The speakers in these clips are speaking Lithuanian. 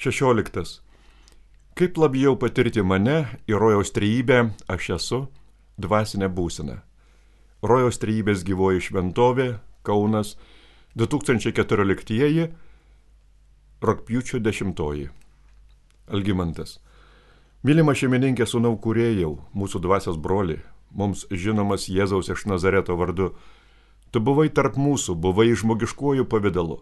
16. Kaip labiau patirti mane ir rojaus trejybę aš esu dvasinė būsena. Rojaus trejybės gyvoji šventovė, Kaunas, 2014, rugpjūčio 10. Algimantas. Mylima šeimininkė sūnau kūrėjau, mūsų dvasios broli, mums žinomas Jėzaus iš Nazareto vardu. Tu buvai tarp mūsų, buvai žmogiškuoju pavidalu.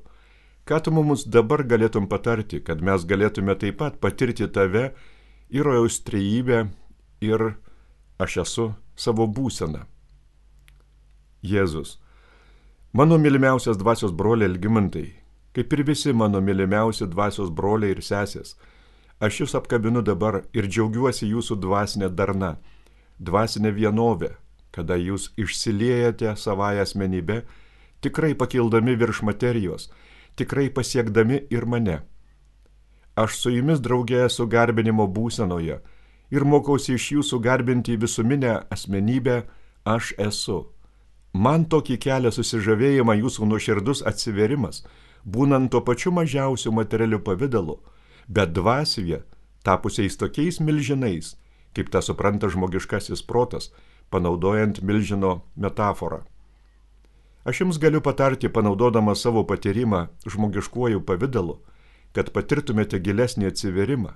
Ką tu mums dabar galėtum patarti, kad mes galėtume taip pat patirti tave ir rojaus trejybę ir aš esu savo būseną? Jėzus. Mano mylimiausias dvasios broliai Algimantai, kaip ir visi mano mylimiausi dvasios broliai ir sesės, aš jūs apkabinu dabar ir džiaugiuosi jūsų dvasinė darna, dvasinė vienovė, kada jūs išsiliejate savąją asmenybę, tikrai pakildami virš materijos, tikrai pasiekdami ir mane. Aš su jumis draugė esu garbinimo būsenoje ir mokausi iš jūsų garbinti visuminę asmenybę aš esu. Man tokį kelia susižavėjimą jūsų nuoširdus atsiverimas, būnant to pačiu mažiausiu materialiu pavidalu, bet dvasioje tapusiais tokiais milžinais, kaip tą supranta žmogiškasis protas, panaudojant milžino metaforą. Aš jums galiu patarti, panaudodama savo patyrimą žmogiškuoju pavidalu, kad patirtumėte gilesnį atsiverimą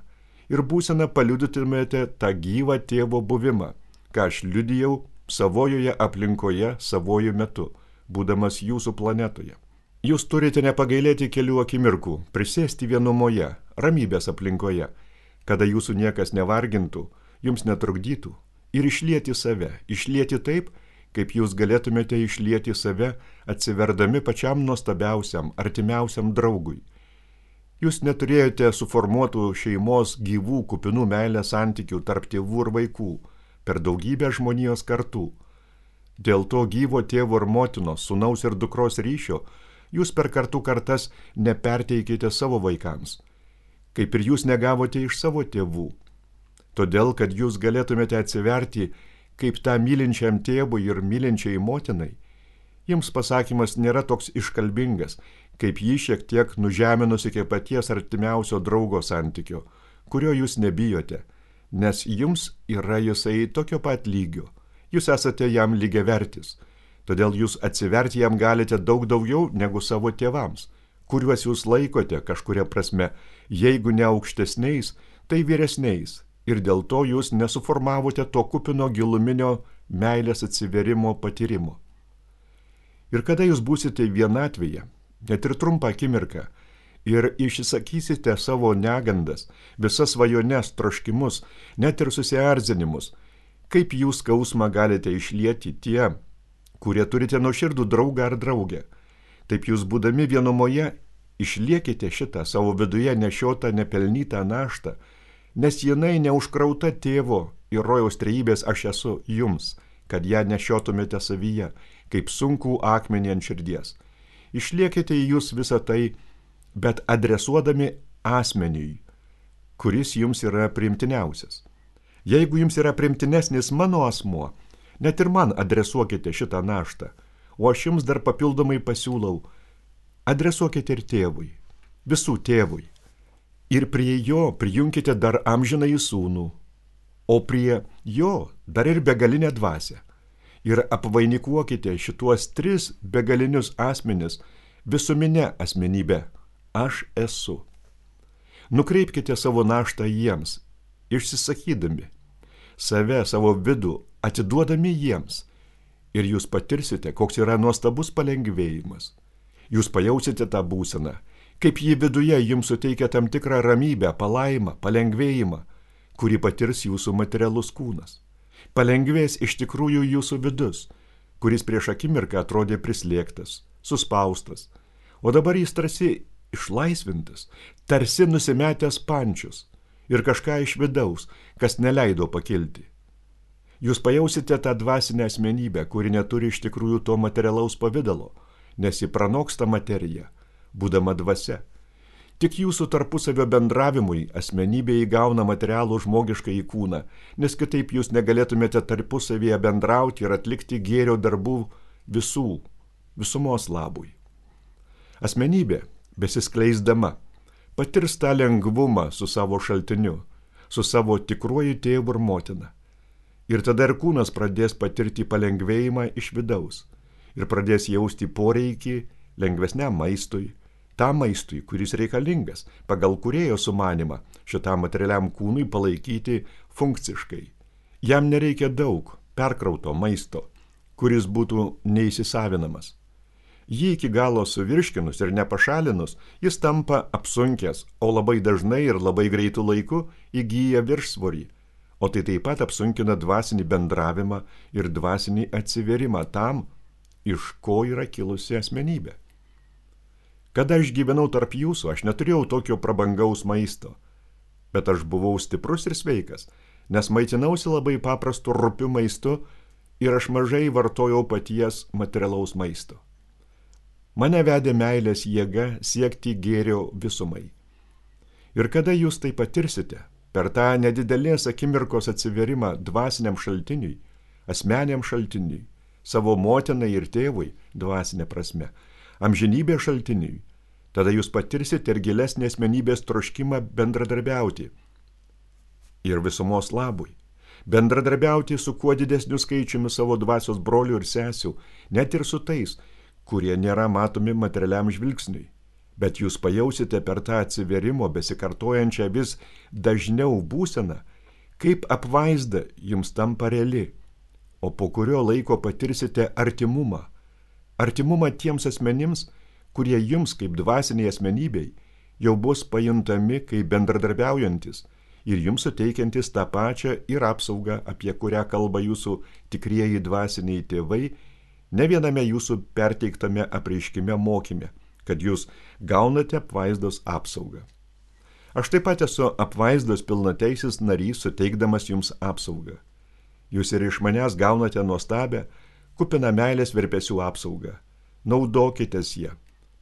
ir būseną paliudytumėte tą gyvą tėvo buvimą, ką aš liudijau savojoje aplinkoje savojų metu, būdamas jūsų planetoje. Jūs turite nepagailėti kelių akimirkų, prisėsti vienumoje, ramybės aplinkoje, kada jūsų niekas nevargintų, jums netrukdytų ir išlieti save, išlieti taip, kaip jūs galėtumėte išlieti save, atsiverdami pačiam nuostabiausiam, artimiausiam draugui. Jūs neturėjote suformuotų šeimos gyvų kupinų meilės santykių tarp tėvų ir vaikų per daugybę žmonijos kartų. Dėl to gyvo tėvo ir motinos, sūnaus ir dukros ryšio jūs per kartų kartas neperteikite savo vaikams, kaip ir jūs negavote iš savo tėvų. Todėl, kad jūs galėtumėte atsiverti kaip tą mylinčiam tėvui ir mylinčiai motinai, jums pasakymas nėra toks iškalbingas, kaip jį šiek tiek nužeminus iki paties artimiausio draugo santykio, kurio jūs nebijote, nes jums yra jisai tokio pat lygio, jūs esate jam lygiavertis, todėl jūs atsiverti jam galite daug daugiau negu savo tėvams, kuriuos jūs laikote kažkuria prasme, jeigu ne aukštesniais, tai vyresniais. Ir dėl to jūs nesuformavote to kupino giluminio meilės atsiverimo patyrimo. Ir kada jūs būsite vienatvėje, net ir trumpą akimirką, ir išsakysite savo negandas, visas svajones, troškimus, net ir susierzinimus, kaip jūs skausmą galite išlieti tie, kurie turite nuoširdų draugą ar draugę, taip jūs būdami vienumoje išliekite šitą savo viduje nešiotą nepelnytą naštą, nes jinai neužkrauta tėvo ir rojaus trejybės aš esu jums, kad ją nešiotumėte savyje, kaip sunkų akmenį ant širdies. Išliekite į jūs visą tai, bet adresuodami asmeniui, kuris jums yra priimtiniausias. Jeigu jums yra priimtinesnis mano asmuo, net ir man adresuokite šitą naštą, o aš jums dar papildomai pasiūlau, adresuokite ir tėvui, visų tėvui. Ir prie jo prijunkite dar amžinąjį sūnų, o prie jo dar ir begalinę dvasią. Ir apvainikuokite šituos 3 begalinius asmenis visuminę asmenybę. Aš esu. Nukreipkite savo naštą jiems, išsisakydami, save, savo vidų, atiduodami jiems. Ir jūs patirsite, koks yra nuostabus palengvėjimas. Jūs pajausite tą būseną, kaip jį viduje jums suteikia tam tikrą ramybę, palaimą, palengvėjimą, kurį patirs jūsų materialus kūnas. Palengvės iš tikrųjų jūsų vidus, kuris prieš akimirką atrodė prislėgtas, suspaustas, o dabar jis tarsi išlaisvintas, tarsi nusimetęs pančius ir kažką iš vidaus, kas neleido pakilti. Jūs pajausite tą dvasinę asmenybę, kuri neturi iš tikrųjų to materialaus pavidalo, nes ji pranoksta materiją, būdama dvasia. Tik jūsų tarpusavio bendravimui asmenybė įgauna materialų žmogišką į kūną, nes kitaip jūs negalėtumėte tarpusavyje bendrauti ir atlikti gėrio darbų visumos labui. Asmenybė, besiskleisdama, patirs tą lengvumą su savo šaltiniu, su savo tikruoju tėvu ir motina. Ir tada ir kūnas pradės patirti palengvėjimą iš vidaus ir pradės jausti poreikį lengvesniam maistui, tam maistui, kuris reikalingas pagal kūrėjo sumanimą šitam materialiam kūnui palaikyti funkciškai. Jam nereikia daug perkrauto maisto, kuris būtų neįsisavinamas. Jį iki galo suvirškinus ir nepašalinus, jis tampa apsunkęs, o labai dažnai ir labai greitų laiku įgyja viršsvorį. O tai taip pat apsunkina dvasinį bendravimą ir dvasinį atsivėrimą tam, iš ko yra kilusi asmenybė. Kada aš gyvenau tarp jūsų, aš neturėjau tokio prabangaus maisto, bet aš buvau stiprus ir sveikas, nes maitinausi labai paprastu rupiu maistu ir aš mažai vartojau paties materialaus maisto. Mane vedė meilės jėga siekti gėrio visumai. Ir kada jūs tai patirsite, per tą nedidelės akimirkos atsiverimą dvasiniam šaltiniui, asmeniam šaltiniui, savo motinai ir tėvui dvasinė prasme, amžinybės šaltiniui, tada jūs patirsite ir gilesnį asmenybės troškimą bendradarbiauti ir visumos labui. Bendradarbiauti su kuo didesniu skaičiumi savo dvasios brolių ir sesių, net ir su tais, kurie nėra matomi materialiam žvilgsniui. Bet jūs pajausite per tą atsiverimo besikartojančią vis dažniau būseną, kaip apvaizda jums tampa reali, o po kurio laiko patirsite artimumą. Artimumą tiems asmenims, kurie jums kaip dvasiniai asmenybei jau bus pajuntami kaip bendradarbiaujantis ir jums suteikiantis tą pačią ir apsaugą, apie kurią kalba jūsų tikrieji dvasiniai tėvai, ne viename jūsų perteiktame apreiškime mokyme, kad jūs gaunate apvaizdos apsaugą. Aš taip pat esu apvaizdos pilnateisis narys, suteikdamas jums apsaugą. Jūs ir iš manęs gaunate nuostabę, kupiną meilės virpesių apsaugą. Naudokitės ją,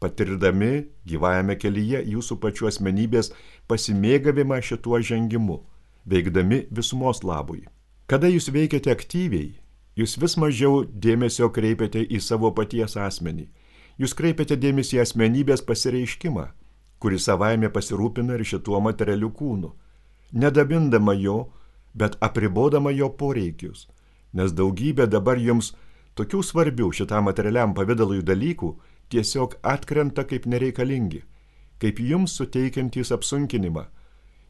patirdami gyvajame kelyje jūsų pačių asmenybės pasimėgavimą šituo žengimu, veikdami visumos labui. Kada jūs veikiate aktyviai, jūs vis mažiau dėmesio kreipiate į savo paties asmenį. Jūs kreipiate dėmesį į asmenybės pasireiškimą, kuris savaime pasirūpina ir šituo materialiu kūnu, nedabindama jo, bet apribodama jo poreikius, nes daugybė dabar jums tokių svarbių šitam materialiam pavidalui dalykų tiesiog atkrenta kaip nereikalingi, kaip jums suteikiantys apsunkinimą,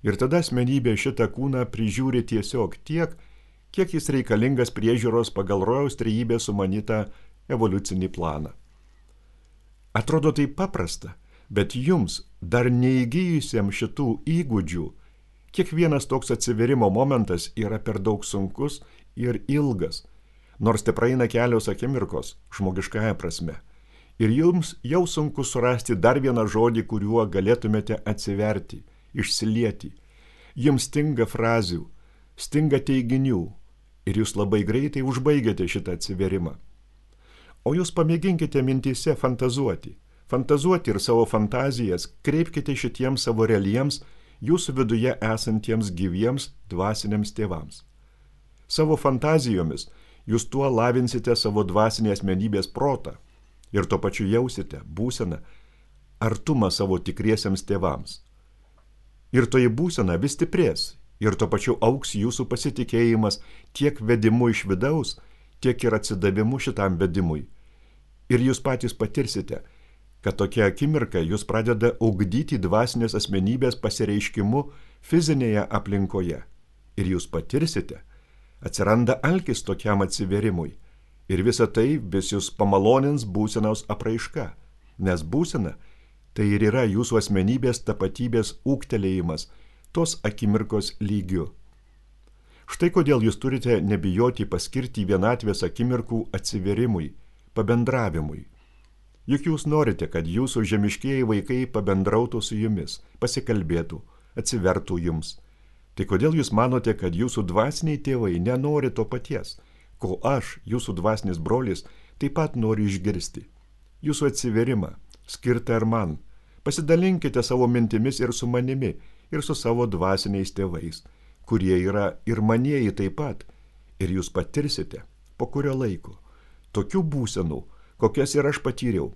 ir tada asmenybė šitą kūną prižiūri tiesiog tiek, kiek jis reikalingas priežiūros pagal rojaus trejybės sumanytą evoliucinį planą. Atrodo tai paprasta, bet jums, dar neįgijusiems šitų įgūdžių, kiekvienas toks atsiverimo momentas yra per daug sunkus ir ilgas, nors te praeina kelios akimirkos žmogiškąja prasme. Ir jums jau sunku surasti dar vieną žodį, kuriuo galėtumėte atsiverti, išsilieti. Jums stinga frazių, stinga teiginių ir jūs labai greitai užbaigiate šitą atsiverimą. O jūs pamėginkite mintyse fantazuoti ir savo fantazijas kreipkite šitiems savo realiems, jūsų viduje esantiems gyviems dvasiniams tėvams. Savo fantazijomis jūs tuo lavinsite savo dvasinės asmenybės protą ir tuo pačiu jausite būseną artumą savo tikriesiems tėvams. Ir toji būsena vis stiprės ir tuo pačiu auks jūsų pasitikėjimas tiek vedimu iš vidaus, tiek ir atsidavimu šitam vedimui. Ir jūs patys patirsite, kad tokia akimirka jūs pradeda ugdyti dvasinės asmenybės pasireiškimu fizinėje aplinkoje. Ir jūs patirsite, atsiranda alkis tokiam atsiverimui. Ir visa tai vis jūs pamalonins būsenos apraiška, nes būsena tai ir yra jūsų asmenybės tapatybės ūgtelėjimas tos akimirkos lygiu. Štai kodėl jūs turite nebijoti paskirti vienatvės akimirkų atsiverimui, pabendravimui. Juk jūs norite, kad jūsų žemiškieji vaikai pabendrautų su jumis, pasikalbėtų, atsivertų jums. Tai kodėl jūs manote, kad jūsų dvasiniai tėvai nenori to paties, ko aš, jūsų dvasinis brolis, taip pat noriu išgirsti? Jūsų atsiverimą, skirtą ir man. Pasidalinkite savo mintimis ir su manimi, ir su savo dvasiniais tėvais, kurie yra ir manieji taip pat, ir jūs patirsite, po kurio laiko, tokių būsenų, kokias ir aš patyriau,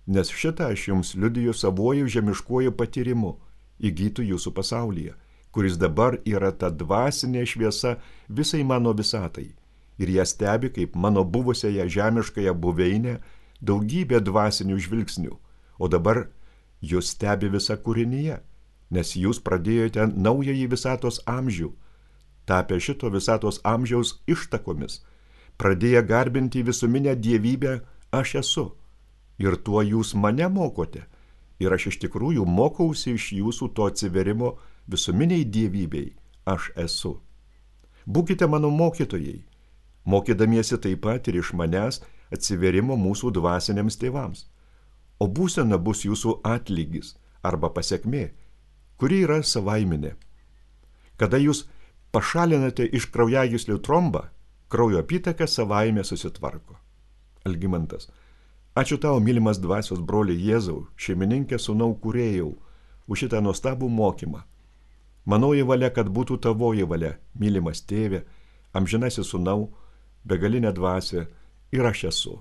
nes šitą aš jums liudiju savuoju žemiškuoju patyrimu, įgytų jūsų pasaulyje, kuris dabar yra ta dvasinė šviesa visai mano visatai. Ir ją stebi kaip mano buvusiąją žemiškąją buveinę daugybė dvasinių žvilgsnių, o dabar jūs stebi visa kūrinyje, nes jūs pradėjote naująjį visatos amžių, tapę šito visatos amžiaus ištakomis, pradėję garbinti visuminę dievybę aš esu. Ir tuo jūs mane mokote. Ir aš iš tikrųjų mokausi iš jūsų to atsiverimo visuminiai dievybei aš esu. Būkite mano mokytojai, mokydamiesi taip pat ir iš manęs atsiverimo mūsų dvasiniams tėvams. O būsena bus jūsų atlygis arba pasekmė, kuri yra savaiminė. Kada jūs pašalinate iš kraujagyslių trombą, kraujo apytaka savaime susitvarko. Algimantas. Ačiū tau, mylimas dvasios broli Jėzau, šeimininkė sūnau kūrėjau, už šitą nuostabų mokymą. Manoji valia, kad būtų tavoji valia, mylimas tėve, amžinasis sūnau, begalinė dvasia ir aš esu.